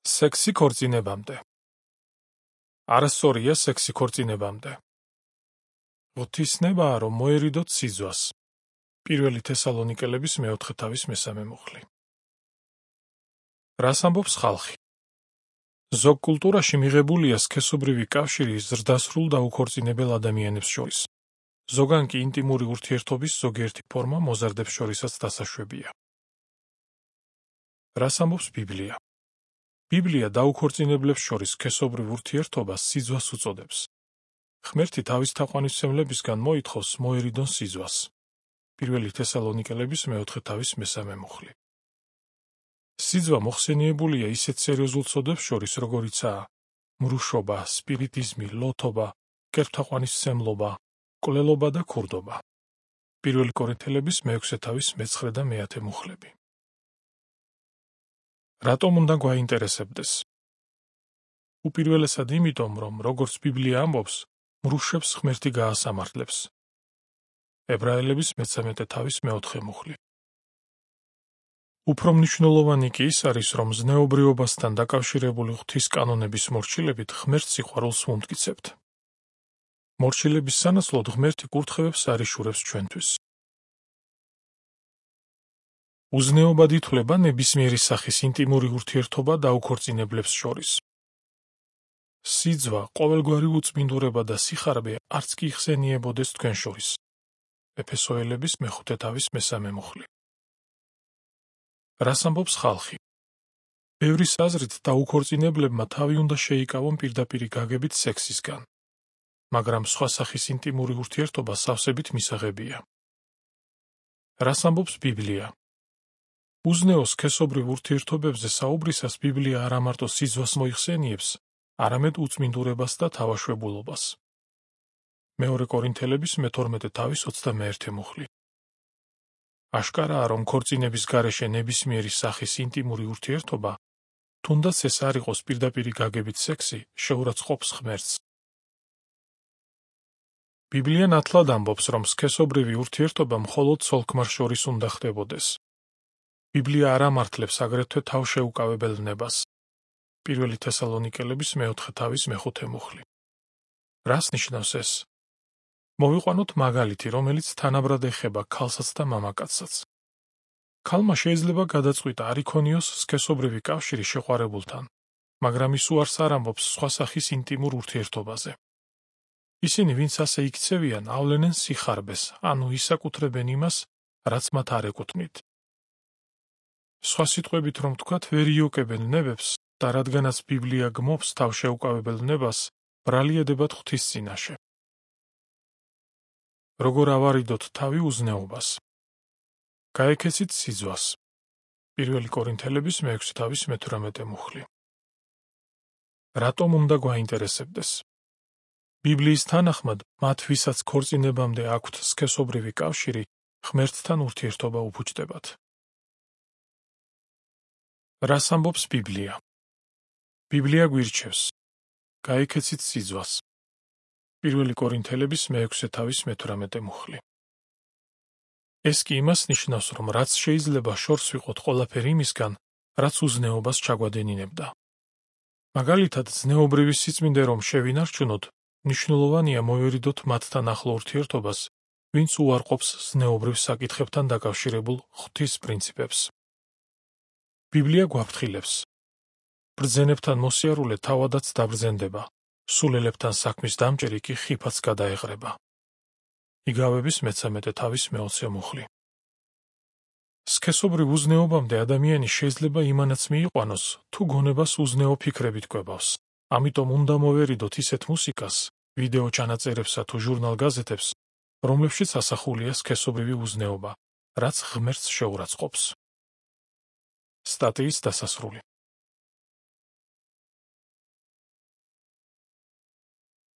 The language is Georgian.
სექსი ქორწინებამდე. არასწორია სექსი ქორწინებამდე. ღვთისნებაა, რომ მოერიდოთ სიძვას. პირველი თესალონიკელების მეოთხე თავის მესამე მუხლი. რას ამბობს ხალხი? ზოგ კულტურაში მიღებულია სქესობრივი კავშირი ზრდასრულ და უქორწინებელ ადამიანებს შორის. ზოგან კი ინტიმური ურთიერთობის ზოგიერთი ფორმა მოზარდებს შორისაც დასაშვებია. რას ამბობს ბიბლია? ბიბლია დაუქორწინებლებს შორის სქესობრივ ურთიერთობას სიძვას უწოდებს. ღმერთი თავის თაყვანისმცემლებისგან მოითხოვს მოერიდონ სიძვას. პირველი თესალონიკელების მეოთხე თავის მესამე მუხლი. სიძვა მოხსენიებულია ისეთ სერიოზულ ცოდებს შორის, როგორიცაა მრუშობა, სპირიტიზმი, ლოთობა, კერპთაყვანისმცემლობა, მკვლელობა და ქურდობა. პირველი კორინთელების მეექვსე თავის მეცხრე და მეათე მუხლები. რატომ უნდა გვაინტერესებდეს? უპირველესად იმიტომ, რომ როგორც ბიბლია ამბობს, მრუშებს ღმერთი გაასამართლებს. ებრაელების მე-13 თავის მეოთხე მუხლი. უფრო მნიშვნელოვანი კი ის არის, რომ ზნეობრიობასთან დაკავშირებული ღვთის კანონების მორჩილებით ღმერთს სიყვარულს ვუმტკიცებთ. მორჩილების სანაცვლოდ ღმერთი კურთხევებს არიშურებს ჩვენთვის. უზნეობად ითვლება ნებისმიერი სახის ინტიმური ურთიერთობა დაუქორწინებლებს შორის. სიძვა, ყოველგვარი უწმინდურება და სიხარბე არც კი იხსენიებოდეს თქვენ შორის. ეფესოელების მეხუთე თავის მესამე მუხლი. რას ამბობს ხალხი? ბევრის აზრით დაუქორწინებლებმა თავი უნდა შეიკავონ პირდაპირი გაგებით სექსისგან. მაგრამ სხვა სახის ინტიმური ურთიერთობა სავსებით მისაღებია. რას ამბობს ბიბლია? უზნეო სქესობრივ ურთიერთობებზე საუბრისას ბიბლია არა მარტო სიძვას მოიხსენიებს, არამედ უწმინდურებას და თავაშვებულობას. მეორე კორინთელების მე-12 თავის 21 მუხლი. აშკარაა, რომ ქორწინების გარეშე ნებისმიერი სახის ინტიმური ურთიერთობა, თუნდაც ეს არ იყოს პირდაპირი გაგებით სექსი, შეურაცხყოფს ღმერთს. ბიბლია ნათლად ამბობს, რომ სქესობრივი ურთიერთობა მხოლოდ ცოლ-ქმარ შორის უნდა ხდებოდეს. ბიბლია არ ამართლებს აგრეთვე თავშეუკავებელ ნებას. პირველი თესალონიკელების მეოთხე თავის მეხუთე მუხლი. რას ნიშნავს ეს? მოვიყვანოთ მაგალითი, რომელიც თანაბრად ეხება ქალსაც და მამაკაცსაც. ქალმა შეიძლება გადაწყვიტა არ იქონიოს სქესობრივი კავშირი შეყვარებულთან, მაგრამ ის უარს არ ამბობს სხვა სახის ინტიმურ ურთიერთობაზე. ისინი, ვინც ასე იქცევიან, ავლენენ სიხარბეს, ანუ ისაკუთრებენ იმას, რაც მათ არ ეკუთვნით. სხვა სიტყვებით რომ ვთქვათ, ვერ იოკებენ ნებებს და რადგანაც ბიბლია გმობს თავშეუკავებელ ნებას, ბრალი ედებათ ღვთის წინაშე. როგორ ავარიდოთ თავი უზნეობას? გაექეცით სიძვას. პირველი კორინთელების მე-6 თავის მე-18 მუხლი. რატომ უნდა გვაინტერესებდეს? ბიბლიის თანახმად, მათ ვისაც ქორწინებამდე აქვთ სქესობრივი კავშირი, ღმერთთან ურთიერთობა უფუჭდებათ. რას ამბობს ბიბლია? ბიბლია გვირჩევს. გაექეცით სიძვას. პირველი კორინთელების მე-6 თავის მე-18 მუხლი. ეს კი იმას ნიშნავს, რომ რაც შეიძლება შორს ვიყოთ ყველაფერი იმისგან, რაც უზნეობას ჩაგვადენინებდა. მაგალითად, ზნეობრივი სიწმინდე რომ შევინარჩუნოთ, მნიშვნელოვანია მოვერიდოთ მათთან ახლო ურთიერთობას, ვინც უარყოფს ზნეობრივ საკითხებთან დაკავშირებულ ღვთის პრინციპებს. ბიბლია გვაფრთხილებს. ბრძენებთან მოსიარულე თავადაც დაბრძენდება, სულელებთან საქმის დამჭერი კი ხიფაც გადაეღრება. იგავების მე-13 თავის მე-20 მუხლი. სქესობრივ უზნეობამდე ადამიანი შეიძლება იმანაც მიიყვანოს, თუ გონებას უზნეო ფიქრებით კვებავს. ამიტომ უნდა მოვერიდოთ ისეთ მუსიკას, ვიდეო ჩანაწერებსა თუ ჟურნალ-გაზეთებს, რომლებშიც ასახულია სქესობრივი უზნეობა, რაც ღმერთს შეურაცხყოფს. სტატიის დასასრული.